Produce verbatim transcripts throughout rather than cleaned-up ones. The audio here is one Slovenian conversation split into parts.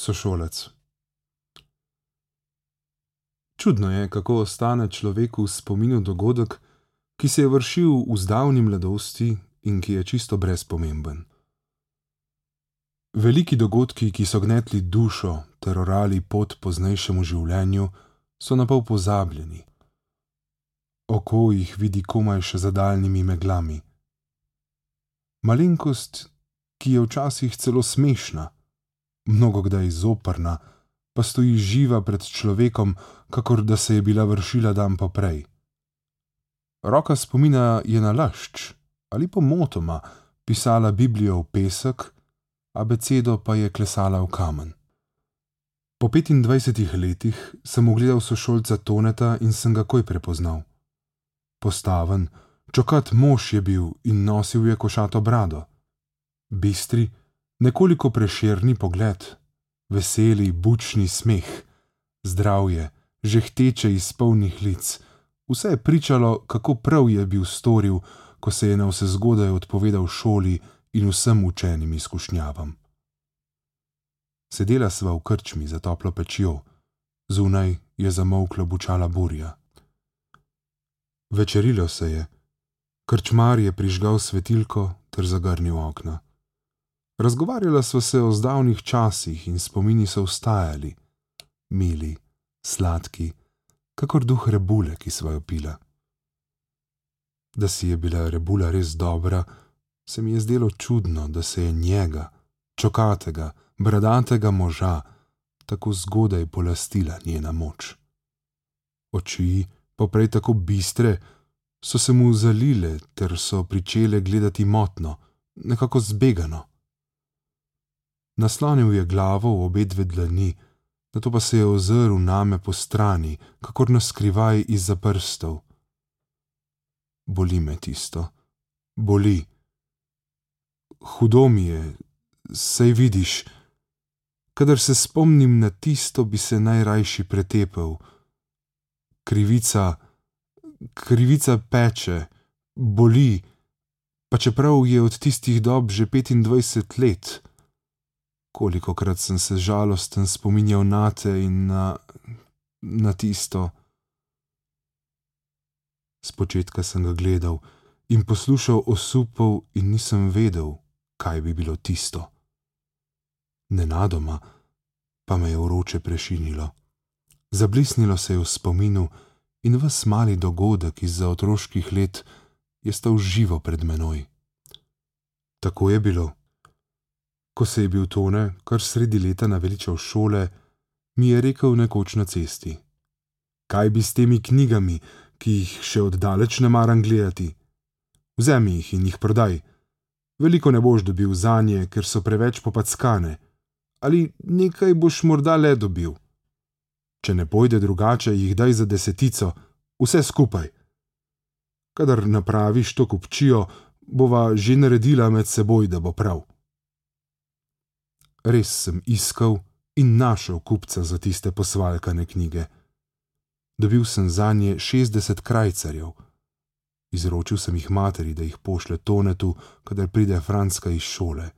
Sošolec. Čudno je, kako ostane človeku v spominu dogodek, ki se je vršil v zdavni mladosti in ki je čisto brezpomemben. Veliki dogodki, ki so gnetli dušo ter orali pot poznejšemu življenju, so napol pozabljeni. Oko jih vidi komaj še za daljnimi meglami. Malenkost, ki je včasih celo smešna, mnogokdaj zoprna, pa stoji živa pred človekom, kakor da se je bila vršila dan poprej. Roka spomina je nalašč ali pomotoma pisala Biblijo v pesek, abecedo pa je klesala v kamen. Po petindvajsetih letih sem ugledal sošolca Toneta in sem ga takoj prepoznal. Postaven, čokat mož je bil in nosil je košato brado. Bistri, nekoliko prešerni pogled, veseli, bučni smeh, zdravje, žehteče iz polnih lic, vse je pričalo, kako prav je bil storil, ko se je navsezgodaj odpovedal šoli in vsem učenim izkušnjavam. Sedela sva v krčmi za toplo pečjo, zunaj je zamolklo bučala burja. Večerilo se je, krčmar je prižgal svetilko ter zagrnil okna. Razgovarjala sva se o zdavnih časih in spomini so vstajali, mili, sladki, kakor duh rebule, ki sva jo pila. Da si je bila rebula res dobra, se mi je zdelo čudno, da se je njega, čokatega, bradatega moža, tako zgodaj polastila njena moč. Oči, poprej tako bistre, so se mu zalile ter so pričele gledati motno, nekako zbegano. Naslonil je glavo v obe dve dlani, nato pa se je ozrl name po strani, kakor naskrivaj izza prstov. Boli me tisto, boli. Hudo mi je, saj vidiš, kadar se spomnim na tisto, bi se najrajši pretepel. Krivica, krivica peče, boli, pa čeprav je od tistih dob že petindvajset let. Kolikokrat sem se žalosten spominjal nate in na, na tisto. Spočetka sem ga gledal in poslušal osupov in nisem vedel, kaj bi bilo tisto. Nenadoma pa me je vroče prešinilo. Zablisnilo se je v spominu in ves mali dogodek izza otroških let je stal živo pred menoj. Tako je bilo. Ko se je bil Tone kar sredi leta naveličal šole, mi je rekel nekoč na cesti: Kaj bi s temi knjigami, ki jih še oddaleč ne maram gledati? Vzemi jih in jih prodaj. Veliko ne boš dobil zanje, ker so preveč popackane. Ali nekaj boš morda le dobil. Če ne pojde drugače, jih daj za desetico, vse skupaj. Kadar napraviš to kupčijo, bova že naredila med seboj, da bo prav. Res sem iskal in našel kupca za tiste posvalkane knjige. Dobil sem zanje šestdeset krajcarjev. Izročil sem jih materi, da jih pošlje Tonetu, kadar pride Francka iz šole.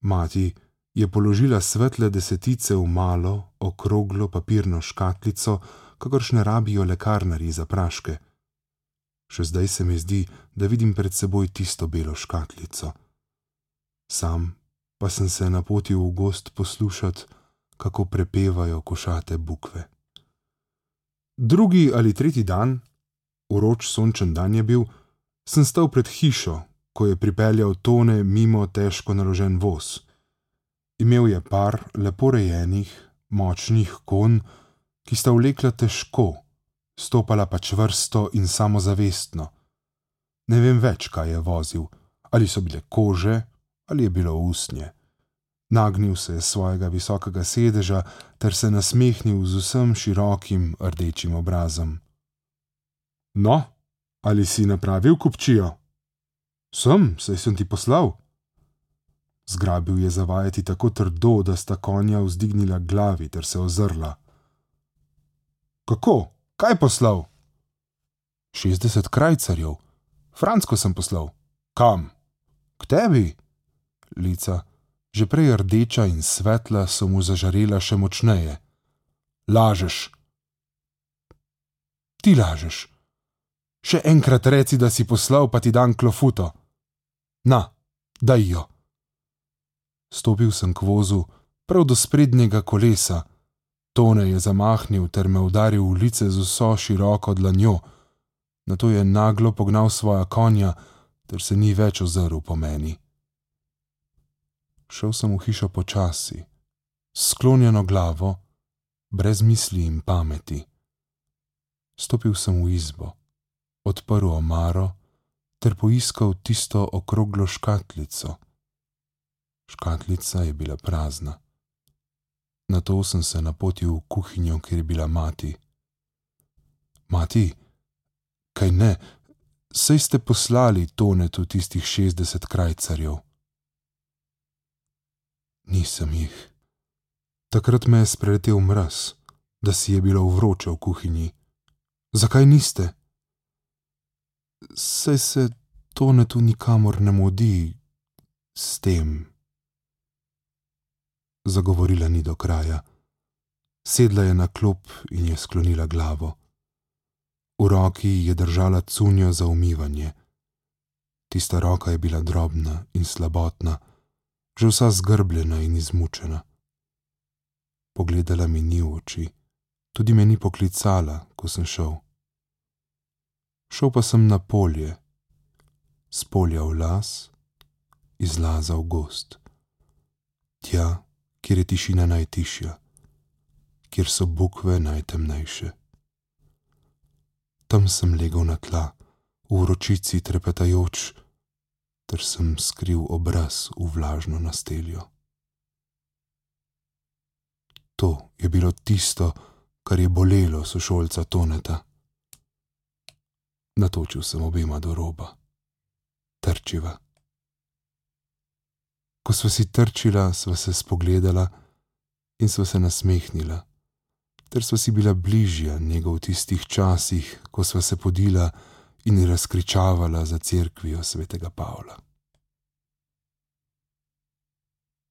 Mati je položila svetle desetice v malo, okroglo papirno škatlico, kakršne rabijo lekarnarji za praške. Še zdaj se mi zdi, da vidim pred seboj tisto belo škatlico. Sam pa sem se napotil v gozd poslušat, kako prepevajo košate bukve. Drugi ali tretji dan, vroč sončen dan je bil, sem stal pred hišo, ko je pripeljal Tone mimo težko naložen voz. Imel je par lepo rejenih, močnih konj, ki sta vlekla težko, stopala pa čvrsto in samozavestno. Ne vem več, kaj je vozil, ali so bile kože, ali je bilo usnje. Nagnil se je svojega visokega sedeža ter se nasmehnil z vsem širokim rdečim obrazom. No, ali si napravil kupčijo? Sem, saj sem ti poslal. Zgrabil je zavajati tako trdo, da sta konja vzdignila glavi ter se ozrla. Kako? Kaj poslal? Šestdeset krajcarjev. Francko sem poslal. Kam? K tebi? Lica, Že prej rdeča in svetla so mu zažarela še močneje. Lažeš. Ti lažeš. Še enkrat reci, da si poslal, pa ti dam klofuto. Na, daj jo. Stopil sem k vozu, prav do sprednjega kolesa. Tone je zamahnil ter me udaril v lice z vso široko dlanjo. Nato je naglo pognal svoja konja, ter se ni več ozrl po meni. Šel sem v hišo počasi, s sklonjeno glavo, brez misli in pameti. Stopil sem v izbo, odprl omaro ter poiskal tisto okroglo škatlico. Škatlica je bila prazna. Nato sem se napotil v kuhinjo, kjer je bila mati. Mati, kaj ne, saj ste poslali Tonetu tistih šestdeset krajcarjev. Nisem jih. Takrat me je spreletel mraz, da si je bilo vroče v kuhinji. Zakaj niste? Saj se Tonetu nikamor ne mudi s tem. Zagovorila ni do kraja. Sedla je na klop in je sklonila glavo. V roki je držala cunjo za umivanje. Tista roka je bila drobna in slabotna, že vsa zgrbljena in izmučena. Pogledala mi ni v oči, tudi me ni poklicala, ko sem šel. Šel pa sem na polje, s polja v las, iz laza v gozd. Tja, kjer je tišina najtišja, kjer so bukve najtemnejše. Tam sem legel na tla, v vročici trepetajoč, ter sem skril obraz v vlažno nasteljo. To je bilo tisto, kar je bolelo sošolca Toneta. Natočil sem obema do roba. Trčiva. Ko sva si trčila, sva se spogledala in sva se nasmehnila, ter sva si bila bližja njega v tistih časih, ko sva se podila in razkričavala za cerkvijo svetega Pavla.